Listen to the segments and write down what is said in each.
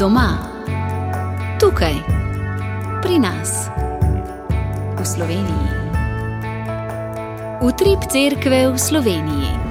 Doma, tukaj, pri nas, v Sloveniji. Utrip cerkve v Sloveniji.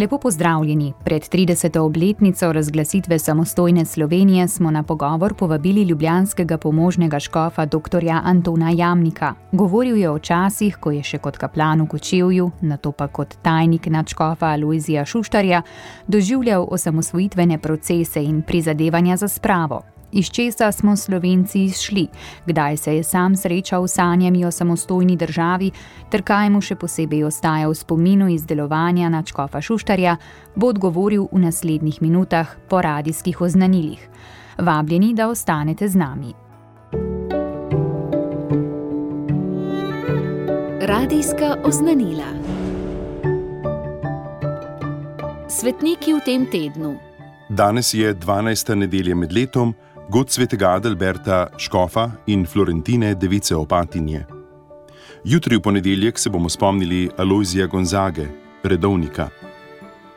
Lepo pozdravljeni. Pred 30. obletnico razglasitve samostojne Slovenije smo na pogovor povabili ljubljanskega pomožnega škofa dr. Antona Jamnika. Govoril je o časih, ko je še kot kaplan v Kočevju, nato pa kot tajnik nadškofa Alojzija Šuštarja, doživljal osamosvojitvene procese in prizadevanja za spravo. Iz česa smo Slovenci izšli, kdaj se je sam srečal s sanjami o samostojni državi, ter kaj mu še posebej ostaja v spominu iz delovanja nadškofa Šuštarja, bo odgovoril v naslednjih minutah po radijskih oznanilih. Vabljeni, da ostanete z nami. Radijska oznanila. Svetniki v tem tednu. Danes je 12. nedelja med letom, god svetega Adalberta škofa in Florentine device Opatinje. Jutri v ponedeljek se bomo spomnili Alojzija Gonzage, redovnika.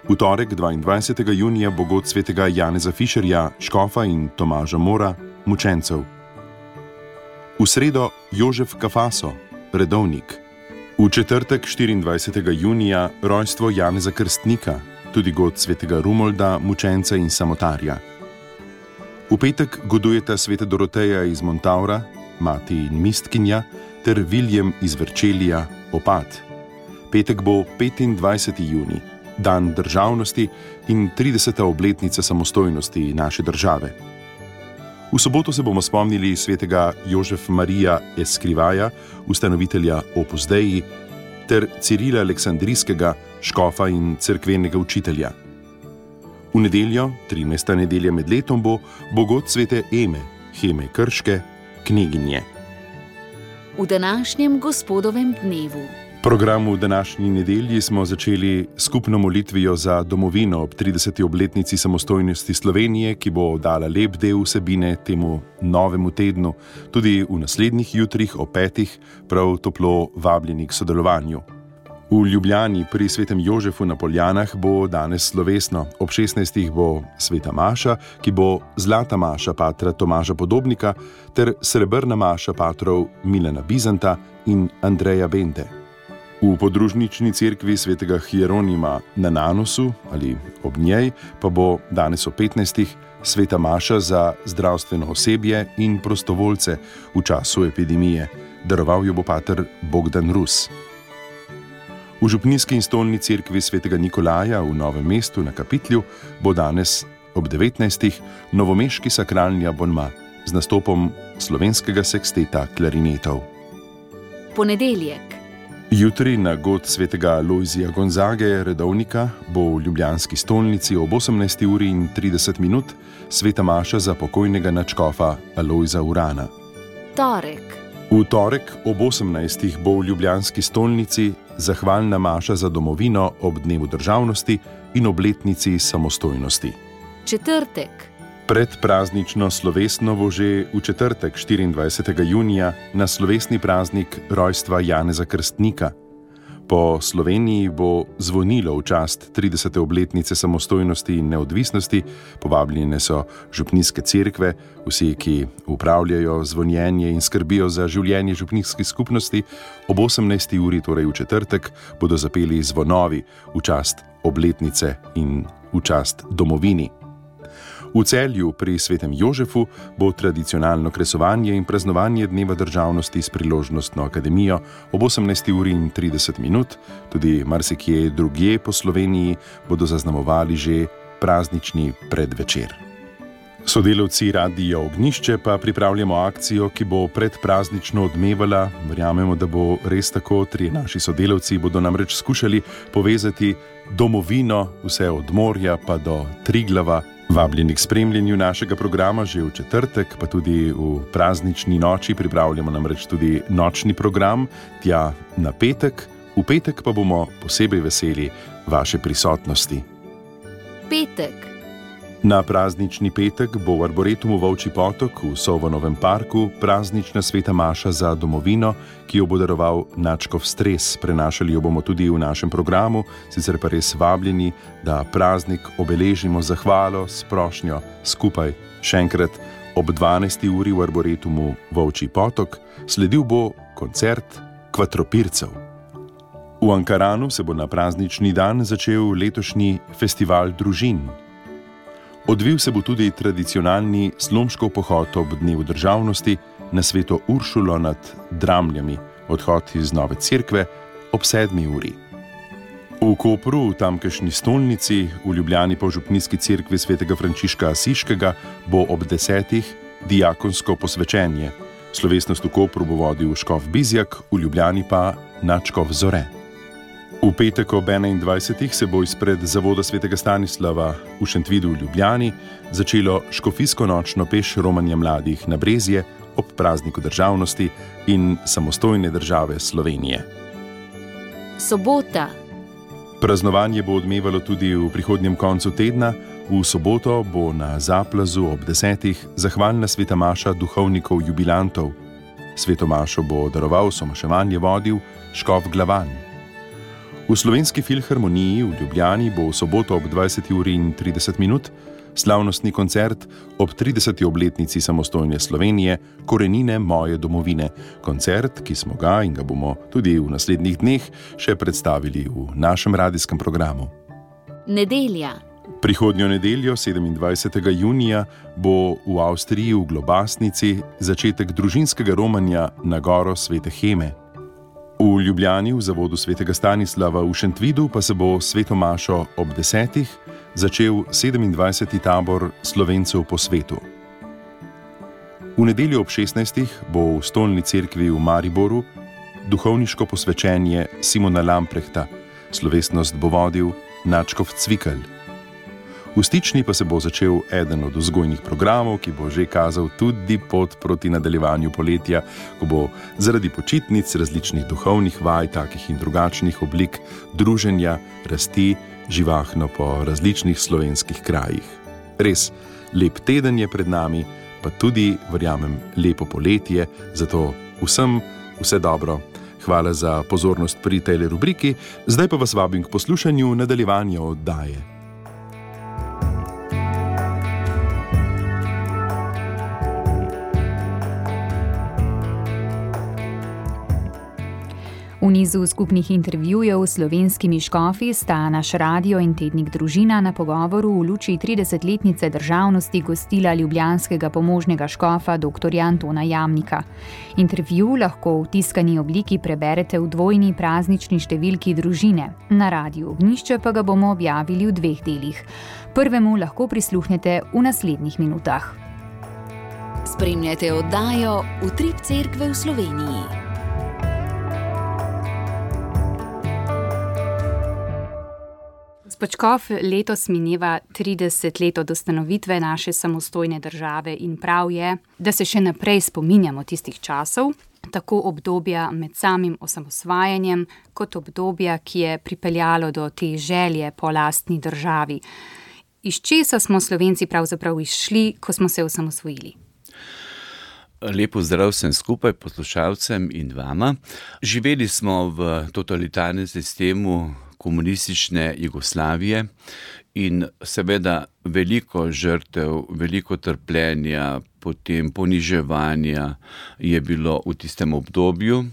V torek 22. junija bo god svetega Janeza Fišerja, škofa in Tomaža Mora, mučencev. V sredo Jožef Kafaso, redovnik. V četrtek 24. junija rojstvo Janeza Krstnika, tudi god svetega Rumolda, mučenca in samotarja. V petek godujeta sveta Doroteja iz Montavra, mati in mistkinja, ter Viljem iz Verčelija, opat. Petek bo 25. junij, dan državnosti in 30. obletnica samostojnosti naše države. V soboto se bomo spomnili svetega Jožef Marija Eskrivaja, ustanovitelja Opus Dei, ter Cirila Aleksandrijskega, škofa in cerkvenega učitelja. V nedeljo, 13. nedelja med letom, bo god svete Eme, Heme Krške, kneginje. V današnjem gospodovem dnevu. Program v današnji nedelji smo začeli skupno molitvijo za domovino ob 30. obletnici samostojnosti Slovenije, ki bo dala lep del vsebine temu novemu tednu. Tudi v naslednjih jutrih ob 5. prav toplo vabljeni k sodelovanju. V Ljubljani pri svetem Jožefu na Poljanah bo danes slovesno. Ob 16. bo sveta maša, ki bo zlata maša patra Tomaža Podobnika ter srebrna maša patrov Milana Bizanta in Andreja Bente. V podružnični cerkvi svetega Hieronima na Nanosu ali ob njej pa bo danes ob 15. sveta maša za zdravstveno osebje in prostovoljce v času epidemije. Daroval jo bo pater Bogdan Rus. V župnijski in stolni cerkvi svetega Nikolaja v Novem mestu na Kapitlju bo danes ob 19. novomeški sakralni abonma z nastopom slovenskega seksteta klarinetov. Ponedeljek. Jutri na god svetega Alojzija Gonzage, redovnika, bo v ljubljanski stolnici ob 18:30 sveta maša za pokojnega nadškofa Alojza Urana. Torek. V torek ob 18. bo v ljubljanski stolnici zahvalna maša za domovino ob dnevu državnosti in obletnici samostojnosti. Četrtek. Predpraznično slovesno bo že v četrtek 24. junija na slovesni praznik rojstva Janeza Krstnika. Po Sloveniji bo zvonilo v čast 30. obletnice samostojnosti in neodvisnosti. Povabljene so župnijske cerkve, vsi, ki upravljajo zvonjenje in skrbijo za življenje župnijskih skupnosti. Ob 18. uri, torej v četrtek, bodo zapeli zvonovi v čast obletnice in v čast domovini. V Celju pri svetem Jožefu bo tradicionalno kresovanje in praznovanje dneva državnosti s priložnostno akademijo ob 18:30. Tudi marsikje drugje po Sloveniji bodo zaznamovali že praznični predvečer. Sodelavci Radia Ognjišče pa pripravljamo akcijo, ki bo predpraznično odmevala. Verjamemo, da bo res tako. 3 naši sodelavci bodo namreč skušali povezati domovino, vse od morja pa do Triglava. Vabljeni k spremljanju našega programa že v četrtek, pa tudi v praznični noči. Pripravljamo namreč tudi nočni program, tja na petek. V petek pa bomo posebej veseli vaše prisotnosti. Petek. Na praznični petek bo v Arboretumu Volčji potok v Sovnovem parku praznična sveta maša za domovino, ki jo bo daroval nadškof Stres. Prenašali jo bomo tudi v našem programu, sicer pa res vabljeni, da praznik obeležimo z zahvalo, s prošnjo, skupaj. Še enkrat ob 12. uri v Arboretumu Volčji potok sledil bo koncert Kvatropircev. V Ankaranu se bo na praznični dan začel letošnji festival družin. Odvil se bo tudi tradicionalni Slomškov pohod ob dnevu državnosti na Sveto Uršulo nad Dramljami, odhod iz Nove Cerkve ob 7. uri. V Kopru, v tamkajšnji stolnici, v Ljubljani pa v Župnijski cerkvi svetega Frančiška Asiškega bo ob 10. diakonsko posvečenje. Slovesnost v Kopru bo vodil škof Bizjak, v Ljubljani pa nadškof Zore. V petek ob 21. se bo izpred zavoda svetega Stanislava v Šentvidu v Ljubljani začelo škofijsko nočno peš romanja mladih na Brezje ob prazniku državnosti in samostojne države Slovenije. Sobota. Praznovanje bo odmevalo tudi v prihodnjem koncu tedna. V soboto bo na Zaplazu ob 10. zahvalna sveta maša duhovnikov jubilantov. Sveto mašo bo daroval, somaševanje vodil škof Glavan. V Slovenski filharmoniji v Ljubljani bo v soboto ob 20:30 slavnostni koncert ob 30. obletnici samostojne Slovenije Korenine moje domovine. Koncert, ki smo ga in ga bomo tudi v naslednjih dneh še predstavili v našem radijskem programu. Nedelja. Prihodnjo nedeljo, 27. junija, bo v Avstriji v Globasnici začetek družinskega romanja na goro Svete Heme. V Ljubljani v zavodu svetega Stanislava v Šentvidu pa se bo sveto mašo ob 10. začel 27. tabor Slovencev po svetu. V nedeljo ob 16. bo v stolni cerkvi v Mariboru duhovniško posvečenje Simona Lamprehta. Slovesnost bo vodil nadškof Cvikl. V Stični pa se bo začel eden od vzgojnih programov, ki bo že kazal tudi pot proti nadaljevanju poletja, ko bo zaradi počitnic, različnih duhovnih vaj, takih in drugačnih oblik druženja, rasti živahno po različnih slovenskih krajih. Res, lep teden je pred nami, pa tudi, verjamem, lepo poletje, zato vsem vse dobro. Hvala za pozornost pri tej rubriki, zdaj pa vas vabim k poslušanju nadaljevanja oddaje. V nizu skupnih intervjujev s slovenskimi škofi sta naš radio in tednik Družina na pogovoru v luči 30-letnice državnosti gostila ljubljanskega pomožnega škofa dr. Antona Jamnika. Intervju lahko v tiskani obliki preberete v dvojni praznični številki Družine. Na Radiu Ognjišče pa ga bomo objavili v 2 delih. Prvemu lahko prisluhnete v naslednjih minutah. Spremljate oddajo Utrip cerkve v Sloveniji. Gospod škof, letos mineva 30 let od ustanovitve naše samostojne države in prav je, da se še naprej spominjamo tistih časov, tako obdobja med samim osamosvajanjem, kot obdobja, ki je pripeljalo do te želje po lastni državi. Iz česa smo Slovenci pravzaprav izšli, ko smo se osamosvojili? Lepo zdrav vsem skupaj, poslušalcem in vama. Živeli smo v totalitarnem sistemu komunistične Jugoslavije in seveda veliko žrtev, veliko trpljenja, potem poniževanja je bilo v tistem obdobju,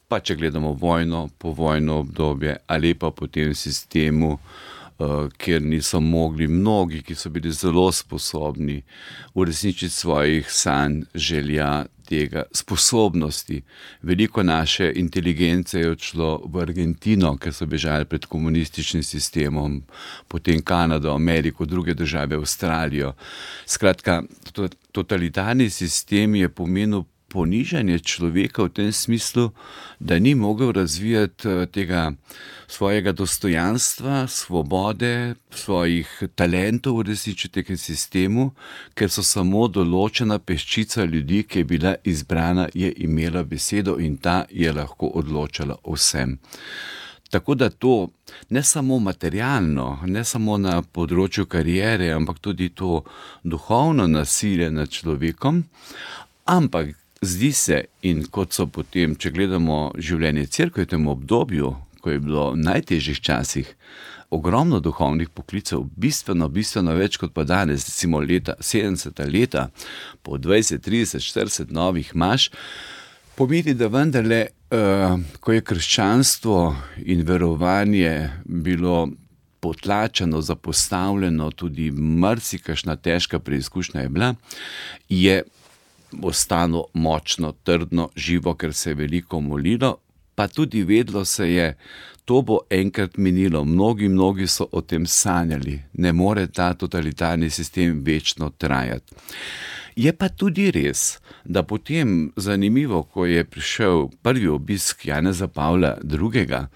pa če gledamo vojno, povojno obdobje ali pa potem v sistemu, kjer niso mogli mnogi, ki so bili zelo sposobni uresničiti svojih sanj, želja, tega, sposobnosti. Veliko naše inteligence je odšlo v Argentino, ker so bežali pred komunističnim sistemom, potem Kanado, Ameriko, druge države, Avstralijo. Skratka, totalitarni sistem je pomenil ponižanje človeka v tem smislu, da ni mogel razvijati tega svojega dostojanstva, svobode, svojih talentov v resničnem sistemu, ker so samo določena peščica ljudi, ki je bila izbrana, je imela besedo in ta je lahko odločala o vsem. Tako da to ne samo materialno, ne samo na področju kariere, ampak tudi to duhovno nasilje nad človekom, ampak zdi se, in kot so potem, če gledamo življenje cerkve v tem obdobju, ko je bilo v najtežjih časih, ogromno duhovnih poklicev, bistveno več kot pa danes, recimo 70 leta, po 20, 30, 40 novih imaš, pomeni, da vendarle, ko je krščanstvo in verovanje bilo potlačeno, zapostavljeno, tudi marsikakšna težka preizkušnja je bila, je ostalo močno, trdno, živo, ker se je veliko molilo, pa tudi vedlo se je, to bo enkrat minilo. Mnogi so o tem sanjali. Ne more ta totalitarni sistem večno trajati. Je pa tudi res, da potem, zanimivo, ko je prišel prvi obisk Janeza Pavla II.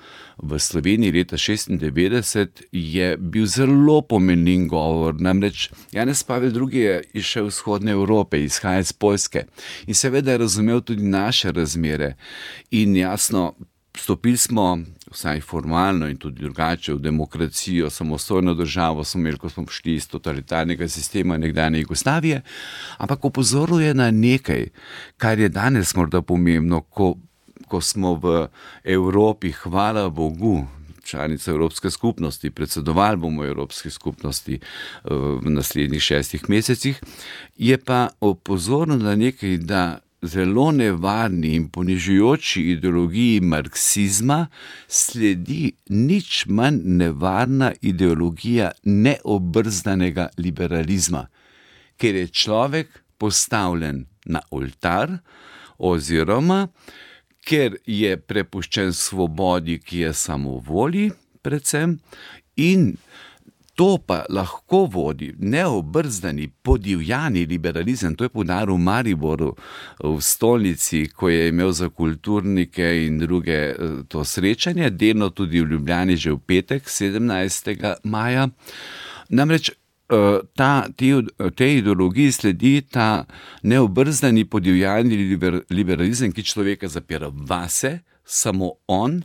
V Sloveniji leta 1996, je bil zelo pomenljiv govor. Namreč Janez Pavel II. Je izšel iz vzhodne Evrope, izhaja iz Poljske in seveda je razumel tudi naše razmere. In jasno, stopili smo, vsaj formalno in tudi drugače, v demokracijo, samostojno državo smo imeli, ko smo prišli iz totalitarnega sistema nekdanje Jugoslavije, ampak opozoril je na nekaj, kar je danes morda pomembno, ko smo v Evropi, hvala Bogu, članica Evropske skupnosti, predsedovali bomo Evropski skupnosti v naslednjih 6 mesecih, je pa opozoril na nekaj, da zelo nevarni in ponižujoči ideologiji marksizma sledi nič manj nevarna ideologija neobrzdanega liberalizma, ker je človek postavljen na oltar oziroma ker je prepuščen svobodi, ki je samovolji predvsem, in to pa lahko vodi neobrzdani, podivjani liberalizem. To je poudaril v Mariboru, v stolnici, ko je imel za kulturnike in druge to srečanje, delno tudi v Ljubljani že v petek, 17. maja. Namreč tej ideologiji sledi ta neobrzdani, podivjani liberalizem, ki človeka zapira vase, samo on,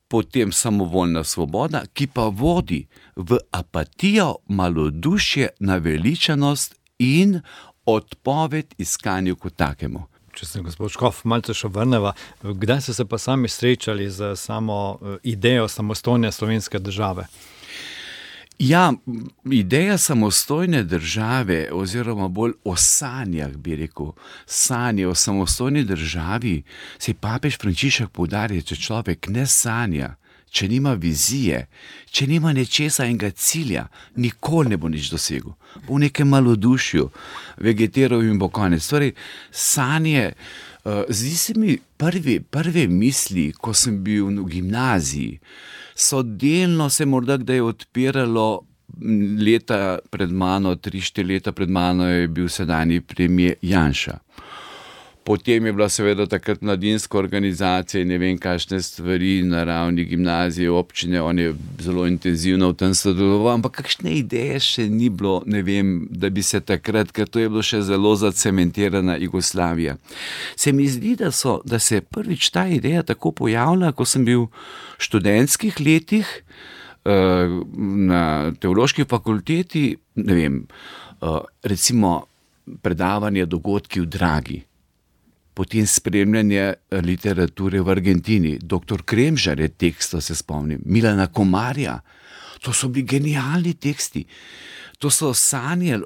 potem samovoljna svoboda, ki pa vodi v apatijo, malodušje, naveličanost in odpoved iskanju kot takemu. Če se gospod Škof malce še vrneva, kdaj ste se pa sami srečali z samo idejo samostojne slovenske države? Ja, ideja samostojne države, oziroma bolj o sanjah, bi rekel, sanje o samostojni državi, se je papež Frančišek poudarja, če človek ne sanja, če nima vizije, če nima nečesa enega cilja, nikoli ne bo nič dosegel. Bo v nekem malodušju, vegetiral in bo konec. Torej, sanje, zdi se mi prve misli, ko sem bil v gimnaziji, so delno se morda kdaj odpiralo leta pred mano, 3-4 leta pred mano je bil sedanji premier Janša. Potem je bila seveda takrat mladinska organizacija in ne vem kakšne stvari na ravni gimnazije, občine, on je zelo intenzivno v tem sodeloval, ampak kakšne ideje še ni bilo, ne vem, da bi se takrat, ker to je bilo še zelo zacementirana Jugoslavija. Se mi zdi, da se je prvič ta ideja tako pojavila, ko sem bil v študentskih letih na teološki fakulteti, ne vem, recimo predavanje dogodki v Dragi. Potem spremljanje literature v Argentini, dr. Kremžar je teksto, se spomnim, Milana Komarja, to so bili genialni teksti. To so sanjali,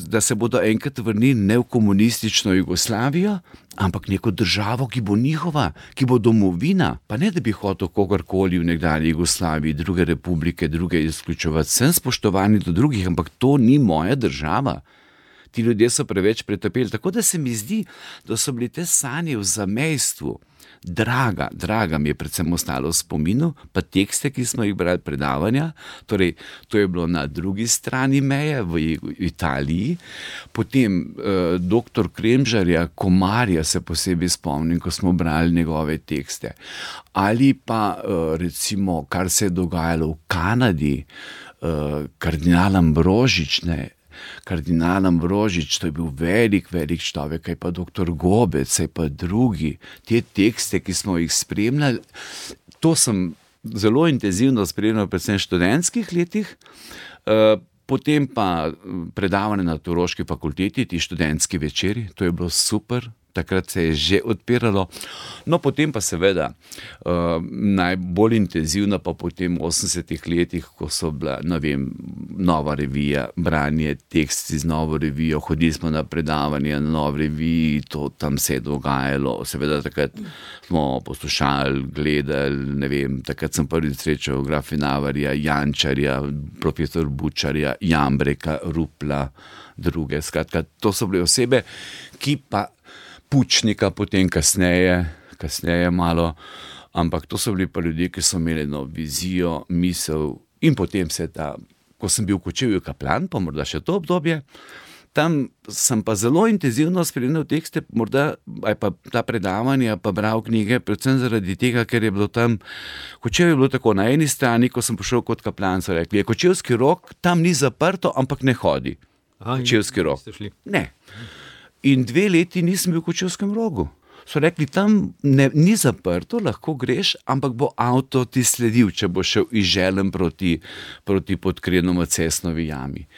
da se bodo enkrat vrnili ne v komunistično Jugoslavijo, ampak neko državo, ki bo njihova, ki bo domovina. Pa ne, da bi hotel kogarkoli v nekdanji Jugoslaviji, druge republike, druge izključevati. Sem spoštovani do drugih, ampak to ni moja država. Ti ljudje so preveč pretrpeli, tako da se mi zdi, da so bili te sanje v zamejstvu. Draga mi je predvsem ostalo v spominu, pa tekste, ki smo jih brali predavanja, torej to je bilo na drugi strani meje v Italiji. Potem dr. Kremžarja, Komarja se posebej spomnim, ko smo brali njegove tekste. Ali pa recimo, kar se je dogajalo v Kanadi, kardinal Ambrožič, to je bil velik človek, kaj pa dr. Gobec, kaj pa drugi, te tekste, ki smo jih spremljali, to sem zelo intenzivno spremljal predvsem v študentskih letih, potem pa predavanje na Teološki fakulteti, ti študentski večeri, to je bilo super. Takrat se je že odpiralo, no potem pa seveda najbolj intenzivno pa potem v 80 letih, ko so bila, Nova revija, branje tekst iz Novo revijo, hodili smo na predavanje na Novi reviji, to tam se je dogajalo, seveda takrat smo poslušali, gledali, takrat sem prvi srečal Grafenavarja, Jančarja, profesor Bučarja, Jambreka, Rupla, druge, skratka, to so bile osebe, ki pa Pučnika potem kasneje malo, ampak to so bili pa ljudje, ki so imeli vizijo, misel in potem ko sem bil v Kočevju kaplan, pa morda še to obdobje, tam sem pa zelo intenzivno spremljal tekste, morda ali pa ta predavanja, pa bral knjige, predvsem zaradi tega, ker je bilo tam, Kočevje je bilo tako, na eni strani, ko sem prišel kot kaplan, so rekli, je Kočevski Rog, tam ni zaprto, ampak ne hodi. Kočevski Rog. Ne. In 2 leti nisem bil v Kočevskem Rogu. So rekli, tam ni zaprto, lahko greš, ampak bo avto ti sledil, če bo šel iz Želem proti Podkrenom Cesnovi jami.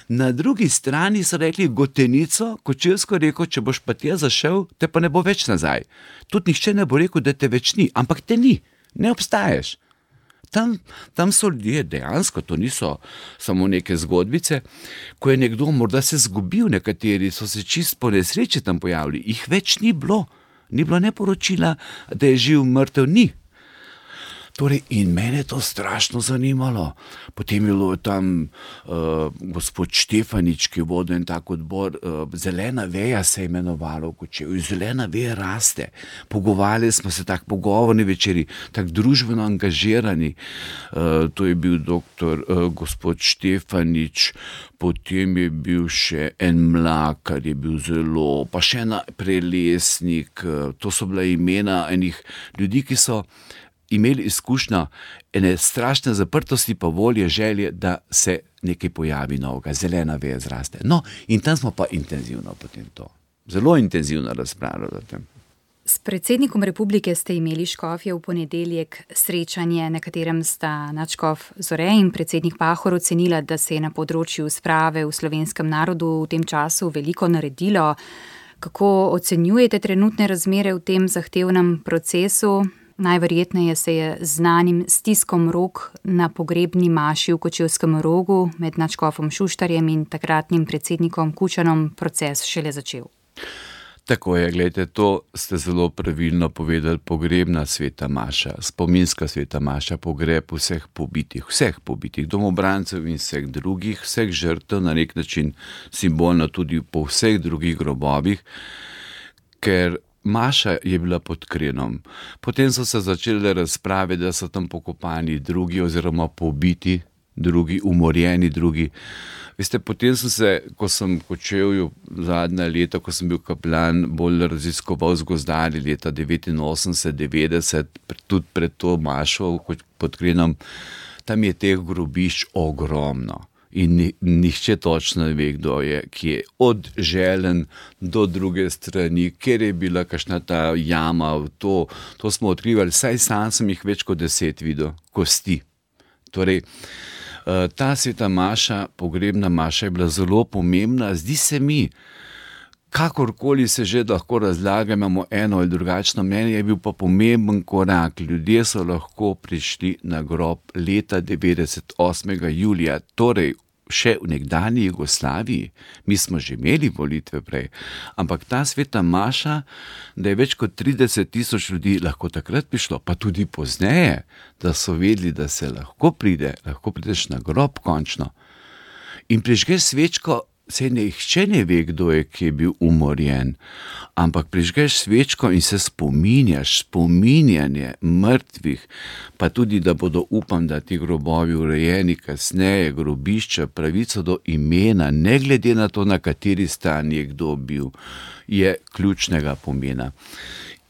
Na drugi strani so rekli, Gotenico, Kočevsko rekel, če boš pa tja zašel, te pa ne bo več nazaj. Tudi nihče ne bo rekel, da te več ni, ampak te ni, ne obstaješ. Tam so ljudje dejansko, to niso samo neke zgodbice, ko je nekdo morda se zgubil, nekateri so se čisto po nesreči tam pojavili, jih več ni bilo ne poročila, da je živ, mrtev, ni. Torej, in mene je to strašno zanimalo. Potem je bilo tam gospod Štefanič, ki je vodil en tak odbor, Zelena veja se je imenovalo v Kočevju, zelena veja raste. Pogovarjali smo se, tak pogovorni večeri, tak družbeno angažirani. To je bil gospod Štefanič, potem je bil še en Mlakar, je bil zelo, pa še en Prelesnik, to so bila imena enih ljudi, ki so imeli izkušnjo ene strašne zaprtosti, pa volje, želje, da se nekaj pojavi novega, zelena veja zraste. No, in tam smo pa intenzivno potem to, zelo intenzivno razpravljali o tem. S predsednikom republike ste imeli škofje v ponedeljek srečanje, na katerem sta nadškof Zore in predsednik Pahor ocenila, da se je na področju sprave v slovenskem narodu v tem času veliko naredilo. Kako ocenjujete trenutne razmere v tem zahtevnem procesu? Najverjetneje se je z znanim stiskom rok na pogrebni maši v Kočevskem Rogu med nadškofom Šuštarjem in takratnim predsednikom Kučanom proces šele začel. Tako je, gledajte, to ste zelo pravilno povedali, pogrebna sveta maša, spominska sveta maša, pogreb vseh pobitih domobrancev in vseh drugih, vseh žrtev, na nek način simbolno tudi po vseh drugih grobovih, ker maša je bila pod Krenom. Potem so se začele razprave, da so tam pokopani drugi oziroma pobiti drugi, umorjeni drugi. Veste, potem sem se, ko sem v Kočevju zadnja leta, ko sem bil kaplan, bolj raziskoval z gozdarji leta 89-90, tudi pred to mašo pod Krenom, tam je teh grobišč ogromno. In nihče točno ne ve, kdo je, ki je od Želen do druge strani, kjer je bila kakšna ta jama, to smo odkrivali, saj sam sem jih več kot 10 videl, kosti. Torej, ta sveta maša, pogrebna maša je bila zelo pomembna, zdi se mi, kakorkoli se že lahko razlaga, imamo eno ali drugačno mnenje, je bil pa pomemben korak. Ljudje so lahko prišli na grob leta 98. julija, torej še v nekdanji Jugoslaviji. Mi smo že imeli volitve prej, ampak ta sveta maša, da je več kot 30 000 ljudi lahko takrat prišlo, pa tudi pozneje, da so vedeli, da se lahko prideš na grob končno. In prižgeš svečko, se nihče ne ve, kdo je, ki je bil umorjen, ampak prižgeš svečko in se spominjanje mrtvih, pa tudi, da bodo, upam, da ti grobovi urejeni kasneje, grobišča, pravico do imena, ne glede na to, na kateri strani je kdo bil, je ključnega pomena.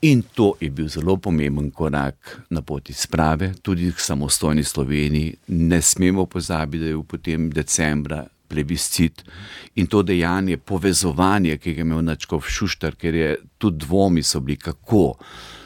In to je bil zelo pomemben korak na poti sprave, tudi k samostojni Sloveniji. Ne smemo pozabiti, da je bil potem decembra plebiscit in to dejanje, povezovanje, ki ga je imel nadškof Šuštar, ker je tudi dvomi so bili, kako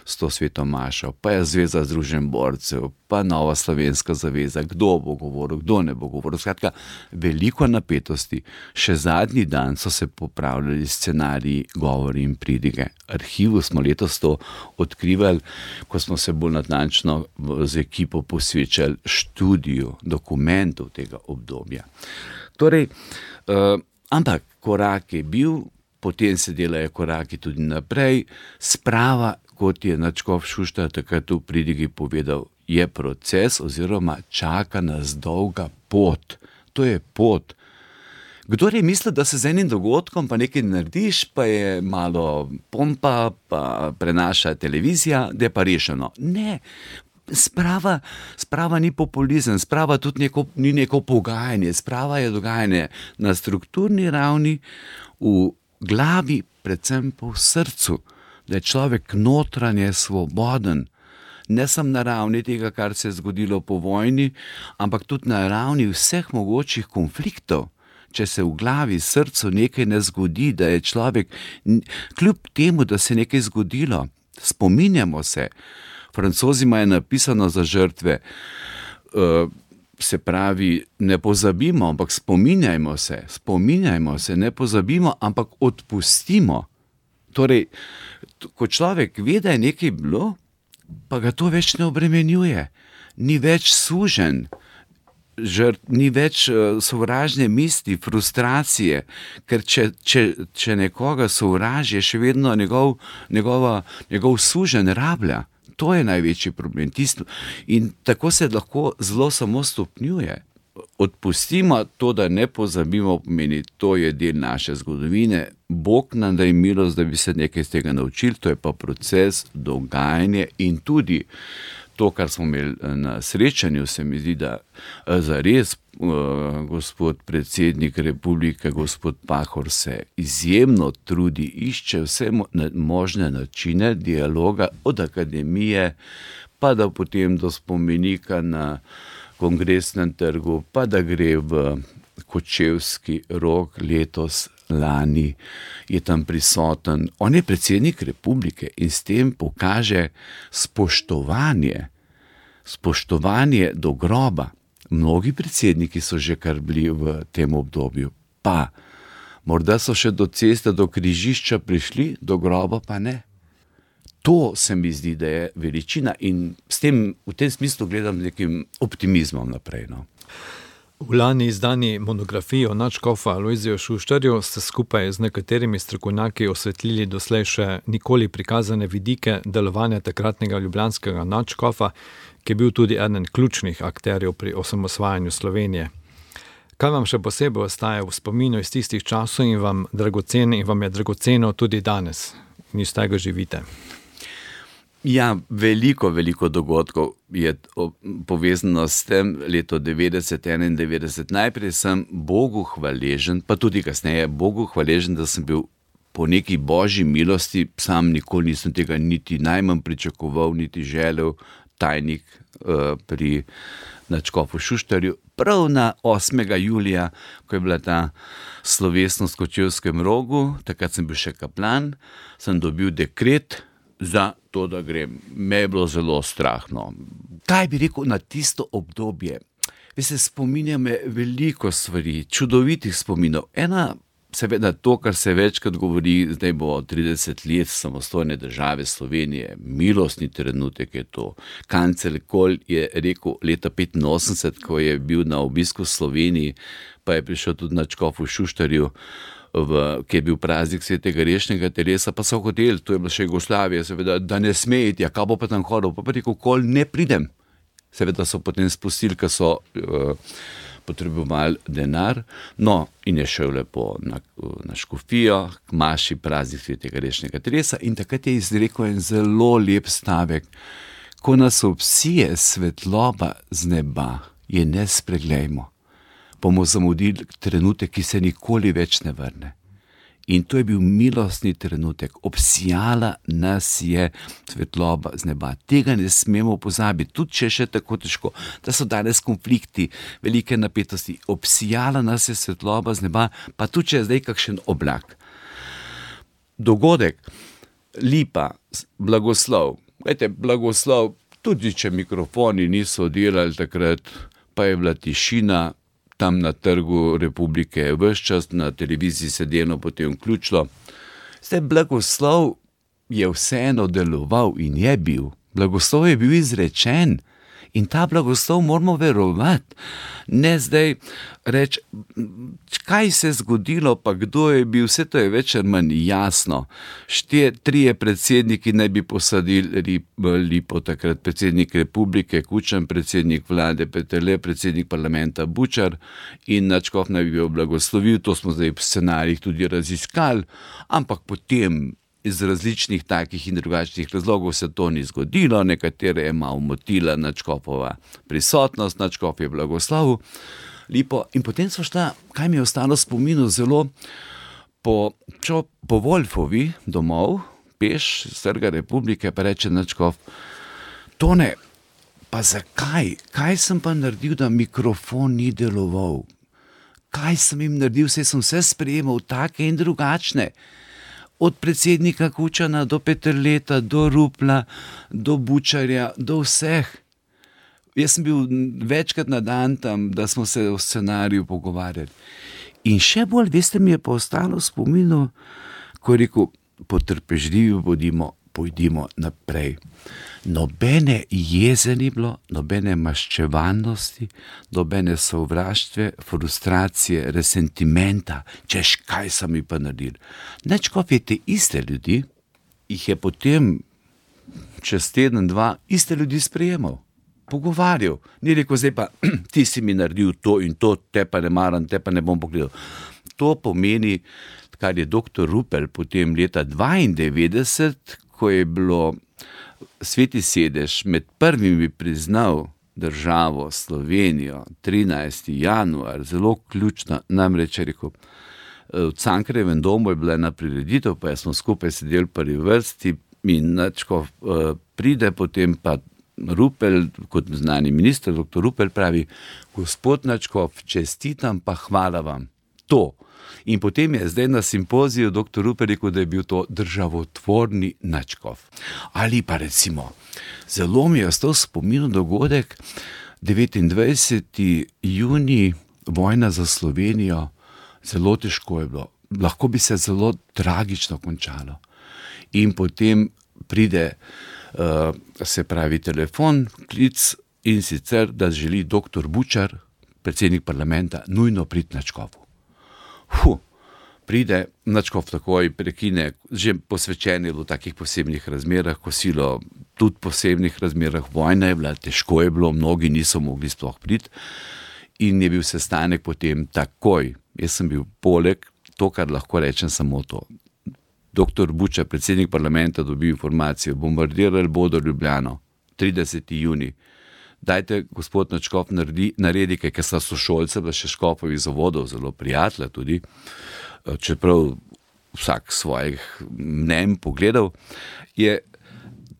s to sveto mašo, pa je Zveza združenj borcev, pa Nova slovenska zaveza, kdo bo govoril, kdo ne bo govoril. Skratka, veliko napetosti. Še zadnji dan so se popravljali scenariji, govori in pridige. Arhivu smo letos to odkrivali, ko smo se bolj natančno z ekipo posvečali študiju dokumentov tega obdobja. Torej, ampak korak je bil, potem se delajo koraki tudi naprej. Sprava, kot je nadškof Šuštar takrat v pridigi povedal, je proces oziroma čaka nas dolga pot. To je pot. Kdor je mislil, da se z enim dogodkom pa nekaj narediš, pa je malo pompa, pa prenaša televizija, da je pa rešeno. Ne, sprava ni populizem, sprava tudi ni neko pogajanje, sprava je dogajanje na strukturni ravni, v glavi, predvsem pa v srcu, da je človek notranje svoboden. Ne samo na ravni tega, kar se je zgodilo po vojni, ampak tudi na ravni vseh mogočih konfliktov. Če se v glavi, srcu nekaj ne zgodi, da je človek, kljub temu, da se je nekaj zgodilo, spominjamo se. Francozi imajo napisano za žrtve, se pravi, ne pozabimo, ampak spominjajmo se, ne pozabimo, ampak odpustimo. Torej, ko človek ve, da je nekaj bilo, pa ga to več ne obremenjuje, ni več suženj, ni več sovražne misli, frustracije, ker če nekoga sovraži, je še vedno njegov suženj rablja. To je največji problem. In tako se lahko zelo samo stopnjuje. Odpustimo to, da ne pozabimo, pomeni, to je del naše zgodovine. Bog nam daj milost, da bi se nekaj iz tega naučili, to je pa proces, dogajanje in tudi to, kar smo imeli na srečanju, se mi zdi, da zares gospod predsednik republike, gospod Pahor se izjemno trudi, išče vse možne načine dialoga od akademije, pa da potem do spomenika na Kongresnem trgu, pa da gre v Kočevski Rog letos, lani je tam prisoten. On je predsednik republike in s tem pokaže spoštovanje do groba. Mnogi predsedniki so že kar bili v tem obdobju, pa morda so še do ceste, do križišča prišli, do groba pa ne. To se mi zdi, da je veličina in v tem smislu gledam z nekim optimizmom naprej. No. V lani izdani monografiji o nadškofu Alojziju Šuštarju ste skupaj z nekaterimi strokovnjaki osvetlili doslej še nikoli prikazane vidike delovanja takratnega ljubljanskega nadškofa, ki je bil tudi eden ključnih akterjev pri osamosvajanju Slovenije. Kaj vam še posebej ostaje v spominu iz tistih časov in vam je dragoceno tudi danes in iz tega živite? Ja, veliko dogodkov je povezano s tem, leto 90-91. Najprej sem Bogu hvaležen, pa tudi kasneje Bogu hvaležen, da sem bil po neki božji milosti, sam nikoli nisem tega niti najmanj pričakoval, niti želel, tajnik pri nadškofu Šuštarju. Prav na 8. julija, ko je bila ta slovesnost v Kočevskem Rogu, takrat sem bil še kaplan, sem dobil dekret za to, da grem. Me je bilo zelo strahno. Kaj bi rekel na tisto obdobje? Veste, spominja me veliko stvari, čudovitih spominov. Ena, seveda to, kar se večkrat govori, zdaj bo 30 let samostojne države Slovenije, milostni trenutek je to. Kancler Kohl je rekel leta 85, ko je bil na obisku v Sloveniji, pa je prišel tudi nadškofu Šuštarju, ki je bil praznik svetega rešnega telesa, pa so hoteli, to je bila še Jugoslavija, seveda, da ne sme iti, ja, kaj bo pa tam hodil, pa rekel, Kohl, ne pridem. Seveda so potem spustili, ker so potrebovali denar, no, in je šel lepo na škofijo, k maši praznik svetega rešnega telesa in takrat je izrekel en zelo lep stavek, ko nas obsije svetloba z neba, je ne spreglejmo. Bomo zamudili trenutek, ki se nikoli več ne vrne. In to je bil milostni trenutek. Obsijala nas je svetloba z neba. Tega ne smemo pozabiti, tudi če je še tako težko, da so danes konflikti, velike napetosti. Obsijala nas je svetloba z neba, pa tudi če je zdaj kakšen oblak. Dogodek, lipa, blagoslov, Glejte, blagoslov, tudi če mikrofoni niso delali takrat, pa je bila tišina tam na Trgu Republike, ves čas na televiziji sedeno potem vključilo. Zdaj, blagoslov je vseeno deloval in je bil. Blagoslov je bil izrečen in ta blagoslov moramo verovati. Ne zdaj reči, kaj se je zgodilo, pa kdo je bil, vse to je več ali manj jasno. 3 predsedniki naj bi posadili lipo takrat, predsednik republike Kučan, predsednik vlade Peterle, predsednik parlamenta Bučar in nadškof naj bi bil blagoslovil, to smo zdaj v scenarijih tudi raziskali, ampak potem iz različnih takih in drugačnih razlogov se to ni zgodilo, nekatere je malo motila nadškofova prisotnost, nadškof je blagoslovil lipo in potem so šla, kaj mi je ostalo spominu zelo, po Wolfovi domov, peš z Trga Republike, pa reče nadškof, Tone, pa zakaj? Kaj sem pa naredil, da mikrofon ni deloval? Kaj sem jim naredil, saj sem vse sprejemal take in drugačne. Od predsednika Kučana do Peterleta, do Rupla, do Bučarja, do vseh. Jaz sem bil večkrat na dan tam, da smo se o scenariju pogovarjali. In še bolj, veste, mi je pa ostalo v spominu, ko je rekel, potrpežljivi bodimo, pojdimo naprej. Nobene jeze ni bilo, nobene maščevalnosti, nobene sovraštve, frustracije, resentimenta, češ kaj so mi pa naredili. Nadškof je te iste ljudi, jih je potem čez teden, 2 iste ljudi sprejemal, pogovarjal. Ni rekel, zdaj pa ti si mi naredil to in to, te pa ne maram, te pa ne bom pogledal. To pomeni, kar je dr. Rupel potem leta 1992, ko je bilo Sveti sedež med prvimi priznal državo Slovenijo, 13. januar, zelo ključno, namreč je rekel, v Cankarjevem domu je bila ena prireditev, pa smo skupaj sedeli v prvi vrsti in nadškof pride, potem pa Rupel, kot znani minister, dr. Rupel pravi, gospod nadškof, čestitam pa hvala vam. To. In potem je zdaj na simpoziju dr. Rupel rekel, da je bil to državotvorni nadškof. Ali pa recimo, zelo mi je ostal spomin dogodek, 29. junij, vojna za Slovenijo, zelo težko je bilo. Lahko bi se zelo tragično končalo. In potem pride, se pravi, telefon, klic in sicer, da želi dr. Bučar, predsednik parlamenta, nujno priti nadškofu. Pride, nadškof takoj prekine, že posvečen je bilo v takih posebnih razmerah, kosilo tudi v posebnih razmerah, vojna je bila, težko je bilo, mnogi niso mogli sploh priti in je bil sestanek potem takoj. Jaz sem bil poleg, to, kar lahko rečem, samo to. Dr. Bučar, predsednik parlamenta, dobil informacijo, bombardirali bodo Ljubljano, 30. junij. Dajte, gospod nadškof, naredi, ker sta sošolca, bila še škofovih zavodov, zelo prijatelja tudi, čeprav vsak svojih mnenj pogledal, je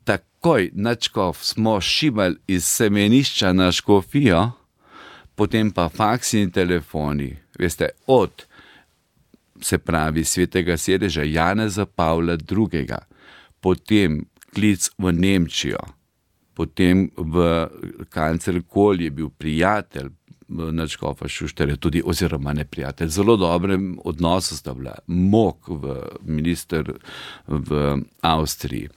takoj nadškof smo šibali iz semenišča na škofijo, potem pa faksi in telefoni, veste, od, se pravi, svetega sedeža Janeza Pavla II., potem klic v Nemčijo, potem v kancler Kohl je bil prijatelj nadškofa Šuštarja, tudi oziroma ne prijatelj. Zelo dobrem odnosu sta bila. Mok, minister v Avstriji,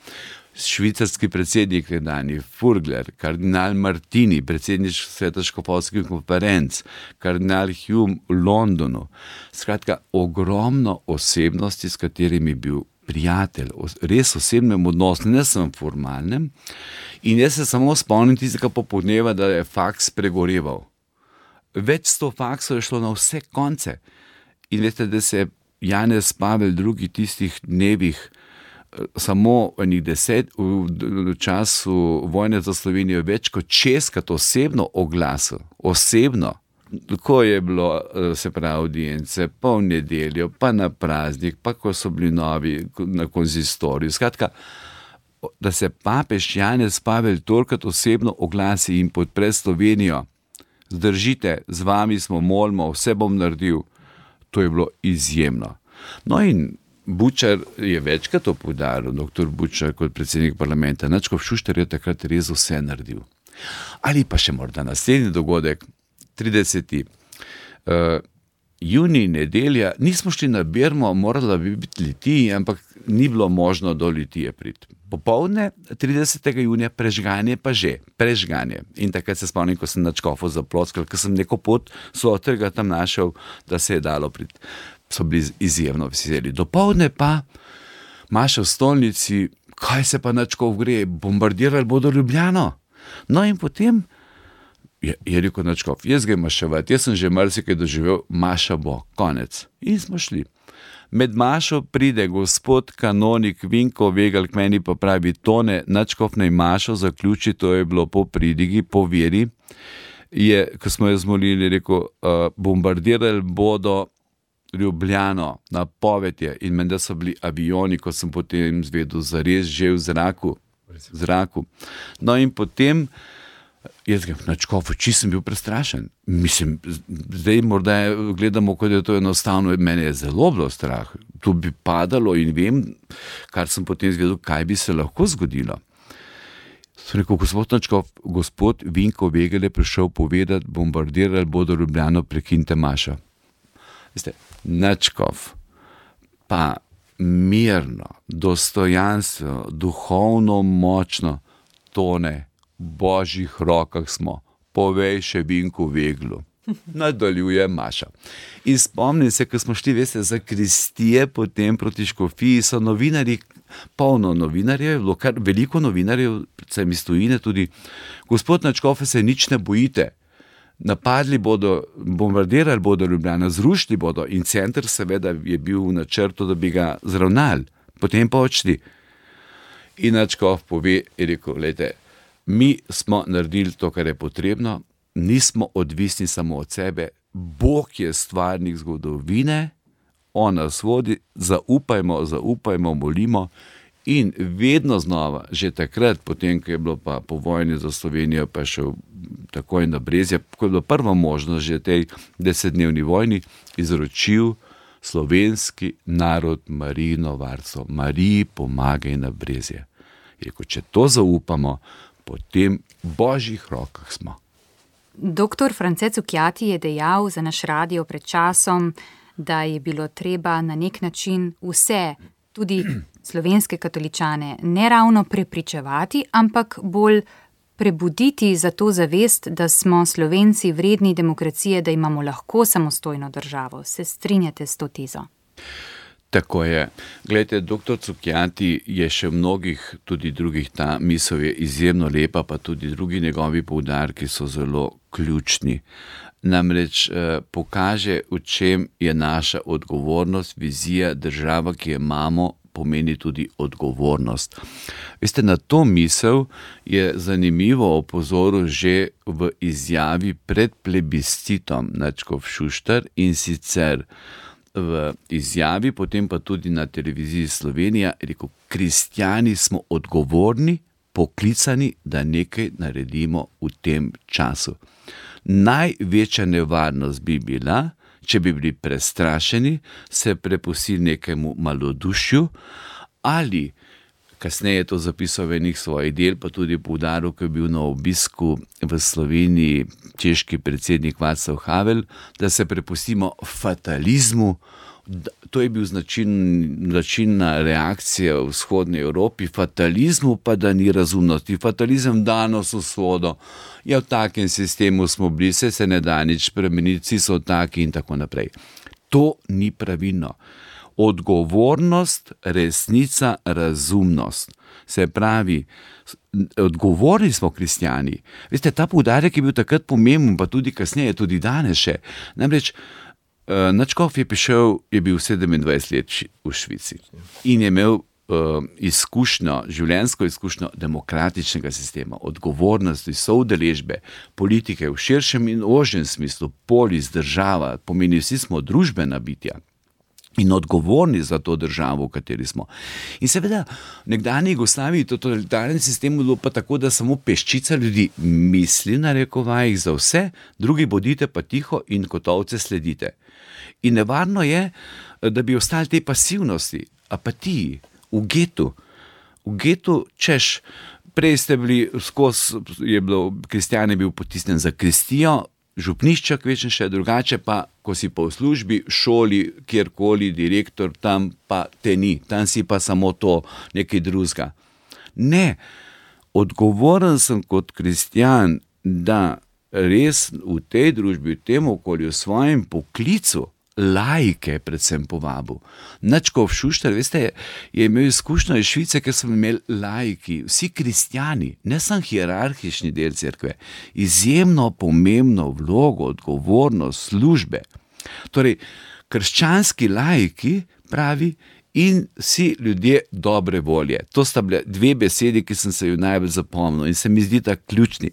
švicarski predsednik nedavni, Furgler, kardinal Martini, predsednik Sveta škofovskih konferenc, kardinal Hume v Londonu. Skratka, ogromno osebnosti, s katerimi je bil prijatelj, res osebnem odnosu, ne samo formalnem. In jaz se samo spomnim tistega popoldneva, da je faks pregoreval. Več 100 faksov je šlo na vse konce. In veste, da se je Janez Pavel II. Tistih dnevih samo enih 10 v času vojne za Slovenijo več kot 6krat osebno oglasil. Osebno. Ko je bilo, se pravi, audience, pa v nedeljo, pa na praznik, pa ko so bili novi na konzistoriju. Skratka, da se papež Janez Pavel tolikrat osebno oglasi in podpre Slovenijo, zdržite, z vami smo, molimo, vse bom naredil, to je bilo izjemno. No in Bučar je večkrat to poudaril, doktor Bučar kot predsednik parlamenta, Nadškof Šuštar je takrat res vse naredil. Ali pa še morda naslednji dogodek, 30. Junij, nedelja, nismo šli na Bermo, morala bi biti Litiji, ampak ni bilo možno do Litije priti. Popoldne 30. junija prežganje pa že, prežganje. In takrat se spomnim, ko sem Nadškofu zaploskal, ker sem neko pot sotrga tam našel, da se je dalo priti. So bili izjemno veseli. Dopoldne pa maša v stolnici, kaj se pa Nadškof gre, bombardirali bodo Ljubljano. No in potem je rekel Nadškof, jaz grem maševati, jaz sem že marsikaj doživel, maša bo, konec. In smo šli. Med mašo pride gospod kanonik Vinko Vegal k meni pa pravi, Tone, Nadškof naj mašo zaključi, to je bilo po pridigi, po veri. Je, ko smo jo zmolili, rekel, bombardirali bodo Ljubljano, napoved je, in menda so bili avioni, ko sem potem zvedel, zares že v zraku. No in potem jaz grem na Nadškofu, či sem bil prestrašen. Mislim, zdaj morda gledamo, kot je to enostavno, mene je zelo bilo strah. To bi padalo in vem, kar sem potem zvedel, kaj bi se lahko zgodilo. Sem rekel, gospod Nadškof, gospod Vinko Vegal je prišel povedati, bombardirali bodo Ljubljano, prekinite mašo. Veste, Nadškof pa mirno, dostojanstveno, duhovno močno, Tone, v božjih rokah smo, povej še Vinku Veglu. Nadaljuje maša. In spomnim se, ko smo šli, veste, za kristije potem proti škofiji, so novinarji, polno novinarjev, kar veliko novinarjev, predvsem iz tujine tudi, gospod Nadškof, se nič ne bojite. Napadli bodo, bombardirali bodo Ljubljano, zrušili bodo in center seveda je bil v načrtu, da bi ga zravnali, potem pa odšli. In Nadškof pove, je rekel, gledajte, mi smo naredili to, kar je potrebno, nismo odvisni samo od sebe, Bog je stvarnik zgodovine, on nas vodi, zaupajmo, molimo. In vedno znova, že takrat, potem, ko je bilo pa po vojni za Slovenijo, pa šel takoj na Brezje, ko je bilo prva možnost že tej 10-dnevni vojni, izročil slovenski narod Marijino varstvo. Mariji pomagaj na Brezje. Rekel, če to zaupamo, potem v božjih rokah smo. Doktor France Cukjati je dejal za naš radio pred časom, da je bilo treba na nek način vse, tudi slovenske katoličane, ne ravno prepričevati, ampak bolj prebuditi za to zavest, da smo Slovenci vredni demokracije, da imamo lahko samostojno državo. Se strinjate s to tezo? Tako je. Glejte, doktor Cukjati je še mnogih, tudi drugih, ta misel je izjemno lepa, pa tudi drugi njegovi poudarki so zelo ključni. Namreč pokaže, v čem je naša odgovornost, vizija, država, ki jo imamo, pomeni tudi odgovornost. Veste, na to misel je zanimivo opozoril že v izjavi pred plebiscitom Nadškof Šuštar, in sicer v izjavi, potem pa tudi na televiziji Slovenija, rekel, kristjani smo odgovorni, poklicani, da nekaj naredimo v tem času. Največja nevarnost bi bila, če bi bili prestrašeni, se prepustili nekemu malodušju, ali, kasneje je to zapisal v enih svojih del, pa tudi poudaril, ko je bil na obisku v Sloveniji češki predsednik Václav Havel, da se prepustimo fatalizmu. To je bil značilna reakcija v vzhodni Evropi, fatalizmu pa, da ni razumnosti. Fatalizem danes usodo, ja, v takem sistemu smo bili, se ne da nič spremeniti, vsi so taki in tako naprej. To ni pravilno. Odgovornost, resnica, razumnost. Se pravi, odgovorni smo kristjani. Veste, ta poudarek je bil takrat pomemben, pa tudi kasneje, tudi danes še. Namreč, Nadškof je prišel, je bil 27 let v Švici in je imel izkušnjo, življenjsko izkušnjo demokratičnega sistema, odgovornosti, soudeležbe, politike v širšem in ožjem smislu, polis, država, pomeni vsi smo družbena bitja in odgovorni za to državo, v kateri smo. In seveda, v nekdanji Jugoslaviji, totalitarnem sistemu bilo pa tako, da samo peščica ljudi misli na rekovajih za vse, drugi bodite pa tiho in kot ovce sledite. In nevarno je, da bi ostali te pasivnosti. apatiji, v getu. V getu, češ, prej ste bili kristjan je bil potisnjen za kristijo, župniščak večen še drugače, pa ko si pa v službi, šoli, kjerkoli, direktor, tam pa te ni, tam si pa samo to, nekaj drugega. Ne, odgovoren sem kot kristjan, da res v tej družbi, v tem okolju, v svojem poklicu, laike predvsem povabil. Nadškof Šuštar, veste, je imel izkušnjo iz Švice, ker smo imeli laiki, vsi kristjani, ne samo hierarhični del cerkve, izjemno pomembno vlogo, odgovornost, službe. Torej, krščanski laiki, pravi, in vsi ljudje dobre volje. To sta bile dve besedi, ki sem se jo najbolj zapomnil in se mi zdi tako ključni.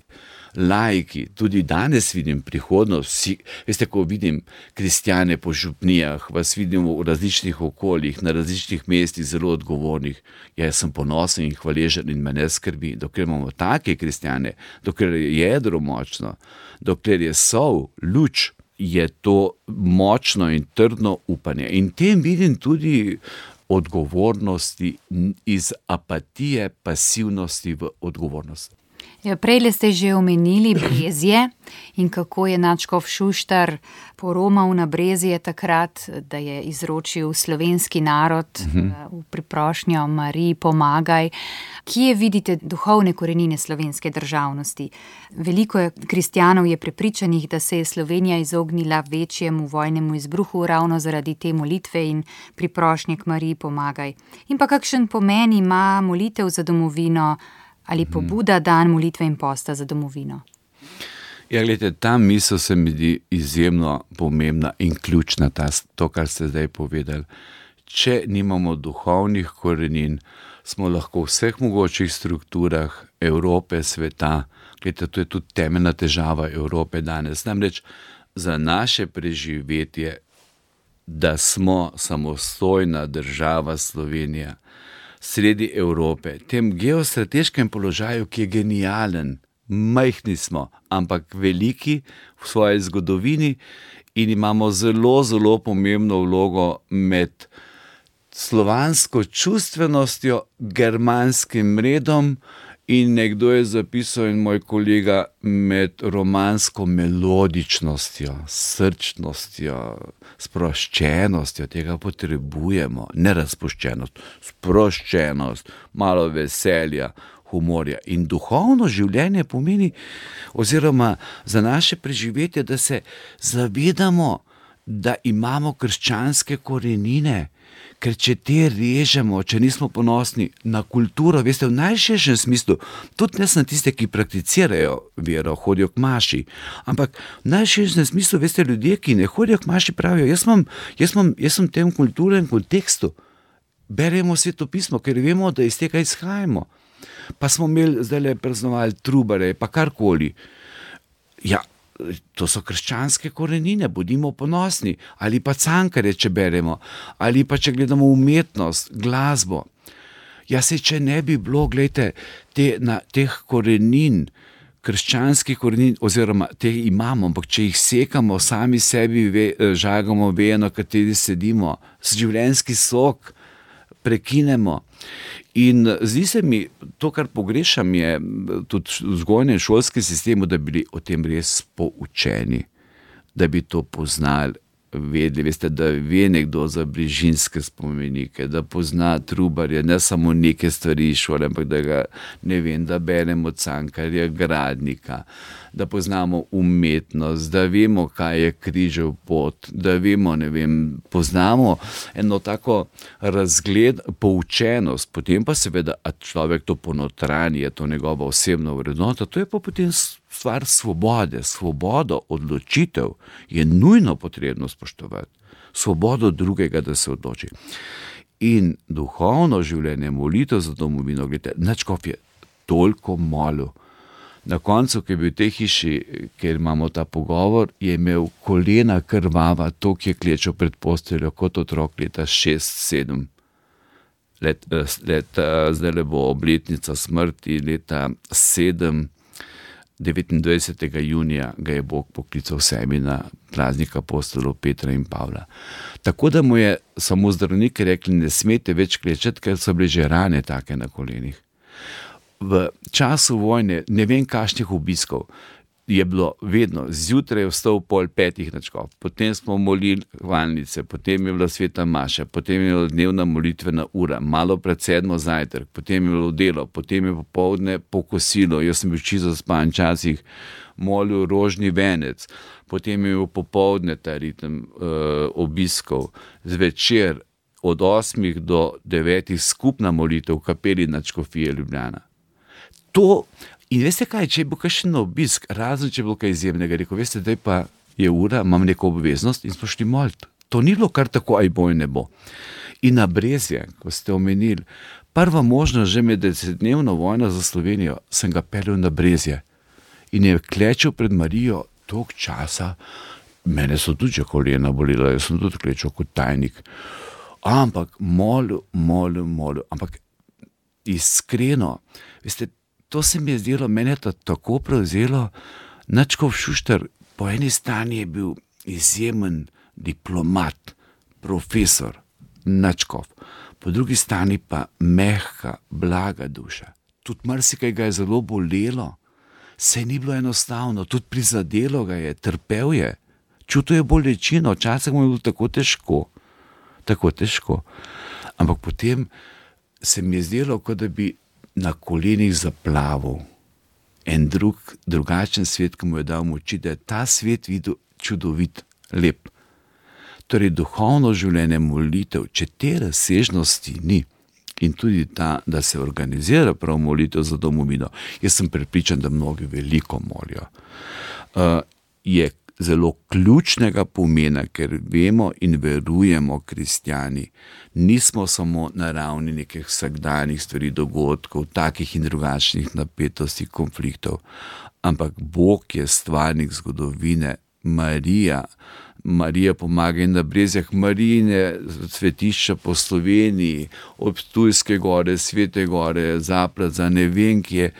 Laiki, tudi danes vidim prihodnost, veste, ko vidim kristjane po župnijah, vas vidim v različnih okoljih, na različnih mestih, zelo odgovornih. Jaz sem ponosen in hvaležen in me ne skrbi, dokler imamo take kristjane, dokler je jedro močno, dokler je sol, luč, je to močno in trdno upanje. In tem vidim tudi odgovornosti iz apatije, pasivnosti v odgovornost. Prej ste že omenili Brezje in kako je nadškof Šuštar poromal na Brezje takrat, da je izročil slovenski narod v priprošnjo Mariji pomagaj. Kje vidite duhovne korenine slovenske državnosti? Veliko kristjanov je prepričanih, da se je Slovenija izognila večjemu vojnemu izbruhu ravno zaradi te molitve in priprošnje k Mariji pomagaj. In pa kakšen pomen ima molitev za domovino ali pobuda dan molitve in posta za domovino? Ja, gledajte, ta misel se mi zdi izjemno pomembna in ključna, to, kar ste zdaj povedali. Če nimamo duhovnih korenin, smo lahko v vseh mogočih strukturah Evrope, sveta, gledajte, to je tudi temeljna težava Evrope danes. Namreč za naše preživetje, da smo samostojna država Slovenija, sredi Evrope, tem geostrateškem položaju, ki je genijalen, majhni smo, ampak veliki v svoji zgodovini in imamo zelo, zelo pomembno vlogo med slovansko čustvenostjo, germanskim redom in nekdo je zapisal in moj kolega med romansko melodičnostjo, srčnostjo, sproščenostjo, tega potrebujemo, ne razpuščenost, sproščenost, malo veselja, humorja. In duhovno življenje pomeni, oziroma za naše preživetje, da se zavedamo, da imamo krščanske korenine, ker če te režemo, če nismo ponosni na kulturo, veste, v najširšem smislu, tudi ne samo tiste, ki prakticirajo vero, hodijo k maši, ampak v najširšem smislu, veste, ljudje, ki ne hodijo k maši, pravijo, jaz sem v tem kulturnem kontekstu, beremo svetopismo, ker vemo, da iz tega izhajamo. Pa smo imeli zdaj praznovali Trubare, pa karkoli. Ja, to so krščanske korenine, bodimo ponosni. Ali pa Cankarje, če beremo, ali pa če gledamo umetnost, glasbo. Ja, se če ne bi bilo, gledajte, teh korenin, krščanskih korenin, oziroma te imamo, ampak če jih sekamo, sami sebi žagamo vejo, na kateri sedimo, življenjski sok prekinemo. In zdi se mi, to, kar pogrešam, je tudi v vzgojnem šolskem sistemu, da bi bili o tem res poučeni, da bi to poznali, vedeli, veste, da ve nekdo za Brižinske spomenike, da pozna Trubarja, ne samo neke stvari iz šole, ampak da ga, ne vem, da beremo Cankarja, Gradnika, da poznamo umetnost, da vemo, kaj je križev pot, da vemo, ne vem, poznamo eno tako razgled, poučenost, potem pa seveda, a človek to ponotranji, je to njegova osebna vrednota, to je pa potem stvar svobode. Svobodo odločitev je nujno potrebno spoštovati. Svobodo drugega, da se odloči. In duhovno življenje, molitev za domovino, gledajte, nadškof je toliko molil. Na koncu, ki je bil v tej hiši, kjer imamo ta pogovor, je imel kolena krvava, toliko je klečal pred posteljo kot otrok leta 6-7. Zdaj bo obletnica smrti leta 7. 29. junija ga je Bog poklical sebi na praznik apostolov Petra in Pavla. Tako da mu je samo zdravniki rekli, ne smete več klečati, ker so bile že rane take na kolenih. V času vojne, ne vem kakšnih obiskov, je bilo vedno, zjutraj je vstal 4:30 na škof, potem smo molili hvalnice, potem je bila sveta maša, potem je bila dnevna molitvena ura, malo pred 7 zajtrk, potem je bilo delo, potem je popoldne pokosilo, jaz sem bil čisto zaspan, časih molil rožni venec, potem je bil popoldne ta ritem obiskov, zvečer od 8 do 9 skupna molitev v kapeli nadškofije Ljubljana. In veste kaj, če je bil kakšen obisk, razen če je bilo kaj izjemnega, rekel, veste, daj pa je ura, imam neko obveznost in smo šli moliti. To ni bilo kar tako, aj boj ne bo. In na Brezje, ko ste omenili, prva možnost že med 10-dnevno vojno za Slovenijo, sem ga peljal na Brezje in je klečal pred Marijo toliko časa, mene so tudi že kolena bolila, jaz sem tudi klečal kot tajnik, ampak molil, ampak iskreno, veste, to se mi je zdelo, mene je to tako prevzelo. Nadškof Šuštar po eni strani je bil izjemen diplomat, profesor, nadškof, po drugi strani pa mehka, blaga duša. Tudi marsikaj ga je zelo bolelo, saj ni bilo enostavno, tudi prizadelo ga je, trpel je, čutil je bolečino, včasih mu je bilo tako težko. Ampak potem se mi je zdelo, kot da bi na kolenih zaplaval en drugačen svet, ki mu je dal moči, da je ta svet videl čudovit, lep. Torej, duhovno življenje, molitev, če te razsežnosti ni in tudi ta, da se organizira prav molitev za domovino, jaz sem prepričan, da mnogi veliko molijo, je zelo ključnega pomena, ker vemo in verujemo kristjani, nismo samo na ravni nekih vsakdanjih stvari, dogodkov, takih in drugačnih napetosti, konfliktov, ampak Bog je stvarnik zgodovine, Marija pomaga in na Brezjah, Marijine svetišča po Sloveniji, ob Ptujske gore, Svete gore, Zapladza, ne vem kje,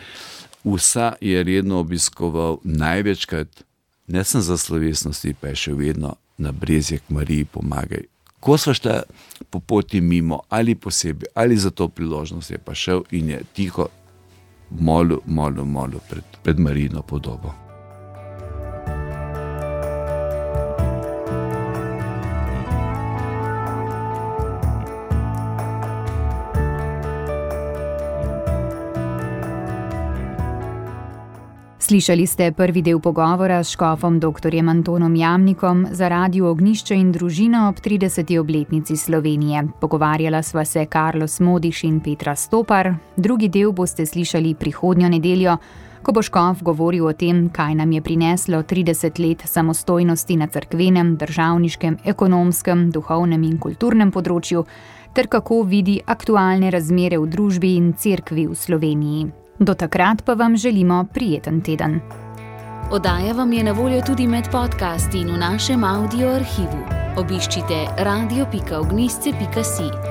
vsa je redno obiskoval, največkrat, ne sem za slovesnosti, pa je še vedno na Brezjah Mariji pomagaj. Ko sva šla po poti mimo, ali posebej, ali za to priložnost, je pa šel in je tiho molil pred Marijino podobo. Slišali ste prvi del pogovora s škofom dr. Antonom Jamnikom za Radio Ognjišče in družino ob 30. obletnici Slovenije. Pogovarjala sva se Carlos Modiš in Petra Stopar. Drugi del boste slišali prihodnjo nedeljo, ko bo škof govoril o tem, kaj nam je prineslo 30 let samostojnosti na cerkvenem, državniškem, ekonomskem, duhovnem in kulturnem področju, ter kako vidi aktualne razmere v družbi in cerkvi v Sloveniji. Do takrat pa vam želimo prijeten teden. Oddaja vam je na voljo tudi med podcasti in v našem audio arhivu. Obiščite radio.ognjišče.si.